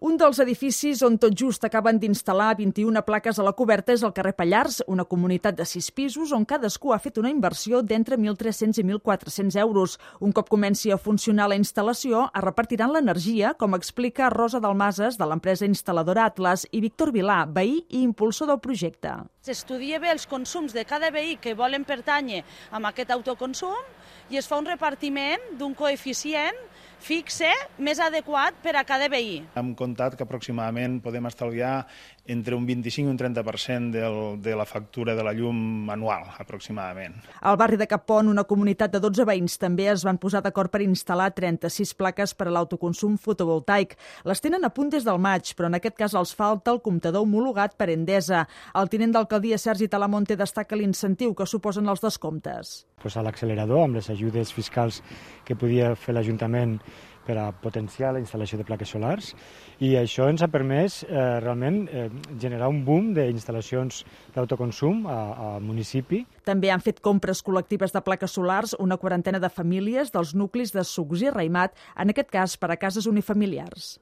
Un dels edificis on tot just acaben d'instal·lar 21 plaques a la coberta és el carrer Pallars, una comunitat de 6 pisos on cadascú ha fet una inversió d'entre 1.300 i 1.400 euros. Un cop comenci a funcionar la instal·lació, es repartiran l'energia, com explica Rosa Dalmases, de l'empresa instal·ladora Atlas, i Víctor Vilà, veí i impulsor del projecte. S'estudia bé els consums de cada veí que volen pertànyer a aquest autoconsum i es fa un repartiment d'un coeficient fixe més adequat per a cada veí. Hem comptat que aproximadament podem estalviar entre un 25 i un 30% de la factura de la llum anual, aproximadament. Al barri de Cappont, una comunitat de 12 veïns també es van posar d'acord per instal·lar 36 plaques per a l'autoconsum fotovoltaic. Les tenen a punt des del maig, però en aquest cas els falta el comptador homologat per Endesa. El tinent d'alcaldia Sergi Talamonte destaca l'incentiu que suposen els descomptes. A l'accelerador, amb les ajudes fiscals que podia fer l'Ajuntament per a potenciar la instal·lació de plaques solars, i això ens ha permès realment generar un boom d'instal·lacions d'autoconsum al municipi. També han fet compres col·lectives de plaques solars una quarantena de famílies dels nuclis de Sucs i Raimat, en aquest cas per a cases unifamiliars.